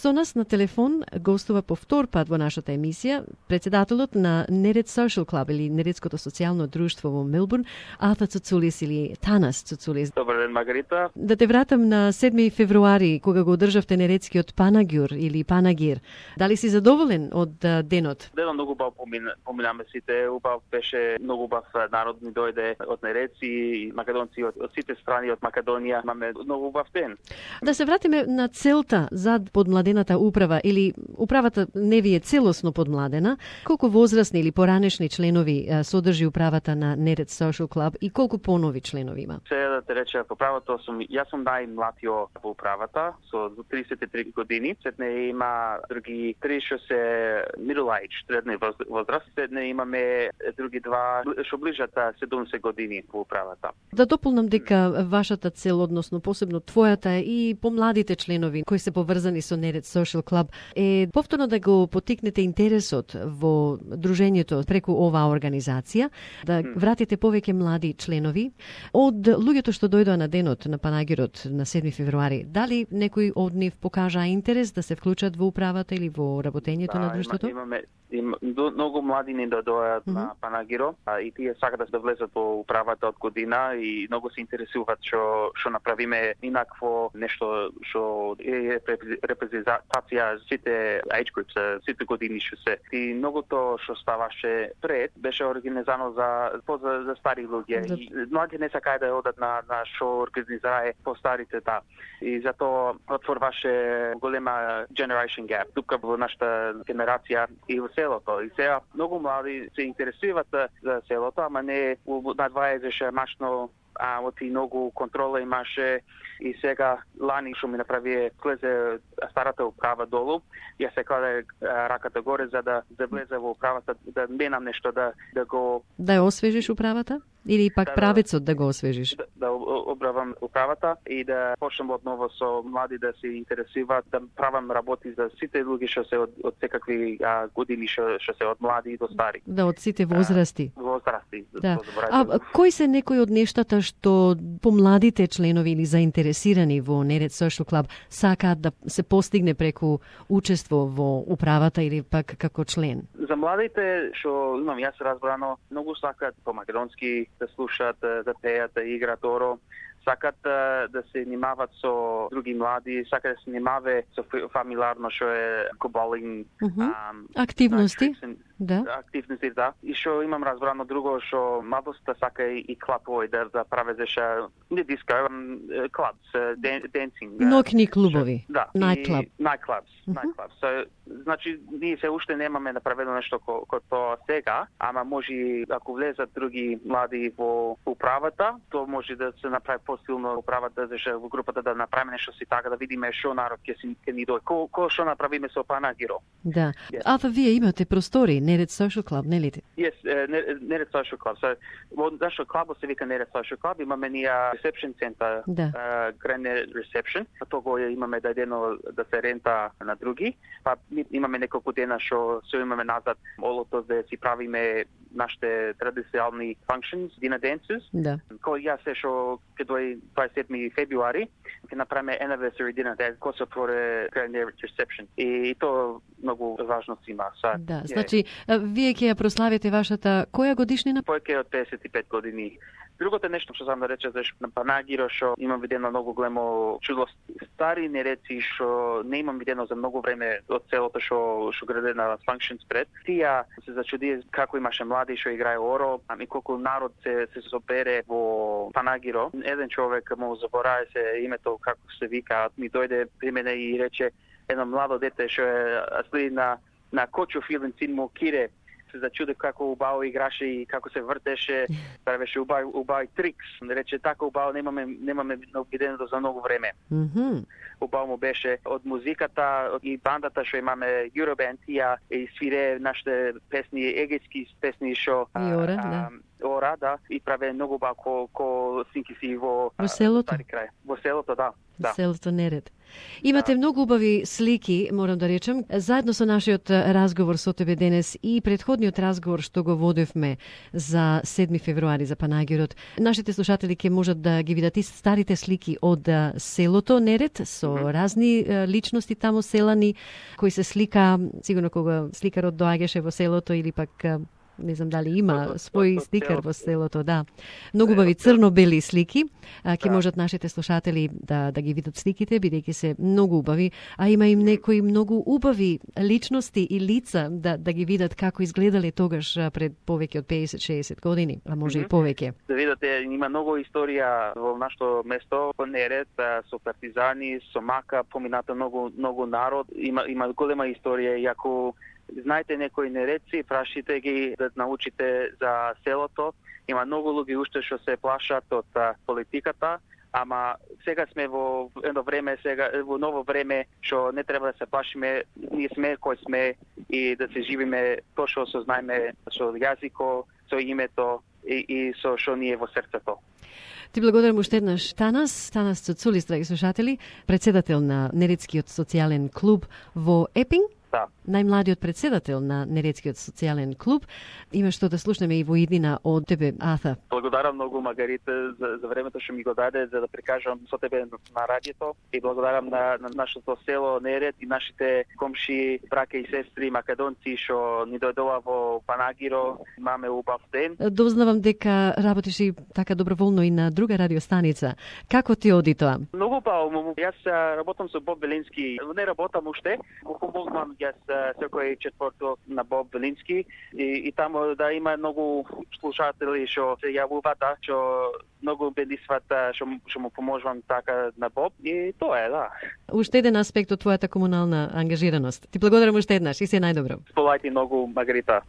Со нас на телефон гостува по втор пат во нашата емисија председателот на Nered Social Club или Нередското социјално друштво во Мелбурн, Ата Цуцулис или Танас Цуцулис. Добар ден, Маргарита. Да те вратам на 7 февруари, кога го одржавте Нередскиот Панагюр или Панагир. Дали си задоволен од денот? Денот многу убав поминаме сите. Убав беше, многу убав народ ни дојде од Нереци и македонци од сите страни од Македонија. Имаме многу убав ден. Да се вратиме на целта зад подмладената управа или управата не ви е целосно подмладена. Колку возрастни или поранешни членови содржи управата на Nered Social Club и колку понови членови има? Се да те рече, по правото јас сум најмлатио во управата со 33 години. Сетне има други 3 што се middle age, средна возраст. Сетне имаме други два што ближат 70 години во управата. Да дополнам дека вашата цел, односно посебно твојата и помладите членови кои се поврзани со Nered Social Club е повторно да го потикнете интересот во дружењето преку оваа организација, да вратите повеќе млади членови од луѓето што дојдоа на денот на Панагирот на 7 февруари. Дали некој од нив покажа интерес да се вклучат во управата или во работењето на друштвото? Имаме многу млади не дојдоат на Панагиро и тие сакаат да влезат во управата од година и многу се интересуваат што направиме инакво нешто што е репрезентација сите age groups, сите години што се. И многото што ставаше пред беше организирано за стари луѓе. И млади не сакаат да одат на што организирае постарите И затоа отворваше голема generation gap тука во нашата генерација и во селото. И сега многу млади се интересуваат за селото, ама не на 20 машно оти многу контрола имаше и сега лани што ми направи влезе старата управа долу, ја се кладе раката горе за да влезе во управата, да менам нешто да го... Да ја освежиш управата? Или пак правецот да го освежиш? Да обравам управата и да почнем одново со млади да се интересуваат, да правам работи за сите луѓе што се од секакви години што се од млади до стари. Да, од сите возрасти. Возрасти. Да. Кои се некои од нештата што помладите членови или заинтересирани во Nered Social Club сакаат да се постигне преку учество во управата или пак како член? За младите што имам јас разбрано, многу сакаат по македонски да слушаат, да пеат, да играат оро, сакаат да се занимаваат со други млади, сакаат да се занимаваат со фамилиарно што е коболинг, активности. Активности, да. И што имам разбрано друго, што младоста сака и клабови да правезеша не диско, клабс, денсинг. Нокни клубови. Да. Nightclubs. So, значи, ние се уште немаме направено нешто како тоа сега, ама може ако влезат други млади во управата, тоа може да се направи посилно управата, во групата да направиме нешто си така, да видиме што народ ќе ни дојде. Кој што направиме со Панагиро. Да. А вие имате простори, Nered Social Club, нели? Yes, Nered Social Club. So, во нашиот клуб се вика Nered Social Club, имаме ние reception center, Grand Reception. Тоа го имаме дадено да се рента на други. Па имаме неколку дена што се имаме назад олото да си правиме нашите традиционални functions, dinner dances. Да. Кој јас се што ќе дојде 27 февруари, ќе направиме anniversary dinner dance, кој се отвори Grand Reception. И тоа многу важно си има. Да, значи вие ќе ја прославите вашата која годишнина? Повеќе од 55 години. Другото нешто што сам да рече на Панагиро што имам видено многу големо чудо, стари нереци што не имам видено за многу време од целото што граде на functions пред. Тие се зачуди како имаше млади што играе оро, и колку народ се собере во Панагиро. Еден човек му заборави се името како се вика, ми дојде при мене и рече едно младо дете што следи на Кочов илен син му Кире, се зачуди како убаво играше и како се вртеше, правеше убави трикс. Рече така убаво немаме видено за многу време. Убаво му беше од музиката и бандата што имаме Euroband, тија и свире нашите песни, егејски песни што ора, да, и праве многу ко снимки си во селото. Стари крај. Во селото, да. Селото Неред. Имате многу убави слики, морам да речем, заедно со нашиот разговор со тебе денес и претходниот разговор што го водевме за 7 февруари за Панагирот. Нашите слушатели ќе можат да ги видат и старите слики од селото Неред со разни личности таму селани кои се слика, сигурно кога сликарот доаѓаше во селото или пак не знам дали има свој сликар во селото, да. Многу убави црно-бели слики. Ќе можат нашите слушатели да ги видат сликите, бидејќи се многу убави, а има и некои многу убави личности и лица да ги видат како изгледале тогаш пред повеќе од 50-60 години, а може и повеќе. Да видите, има многу историја во нашето место, во Неред, со партизани, со мака, помината многу народ, има голема историја, и ако знаете некои нереци, прашите ги да научите за селото. Има многу луѓе уште што се плашат од политиката, ама сега сме во едно време, во ново време, што не треба да се плашиме, ние сме кои сме и да се живиме точно со знаеме, со јазико, со името и со што ние во срцето. Ти благодарам уште еднаш Танас Цуцулис, драги слушатели, председател на Нередскиот социјален клуб во Епинг. Да. Најмладиот председател на Нередскиот социјален клуб. Има што да слушнеме и во иднина од тебе, Ата. Благодарам многу, Маргарита, за времето што ми го даде за да прикажам со тебе на радиото, и благодарам на нашето село Неред и нашите комши, браке и сестри македонци што ни дојдоа во Панагиро. Имаме убав ден. Дознавам дека работиш и така доброволно и на друга радиостаница. Како ти оди тоа? Многу убаво. Јас работам со Боб Велински. Не работам уште, го помогнам јас секој четврток на Боб Велински и таму да има многу слушатели што се јавуваат, што многу бедисват што му поможувам така на Боб, и тоа е, да. Уште еден аспект од твојата комунална ангажираност. Ти благодарам уште еднаш и се најдобро. Сполајте многу, Маргарита.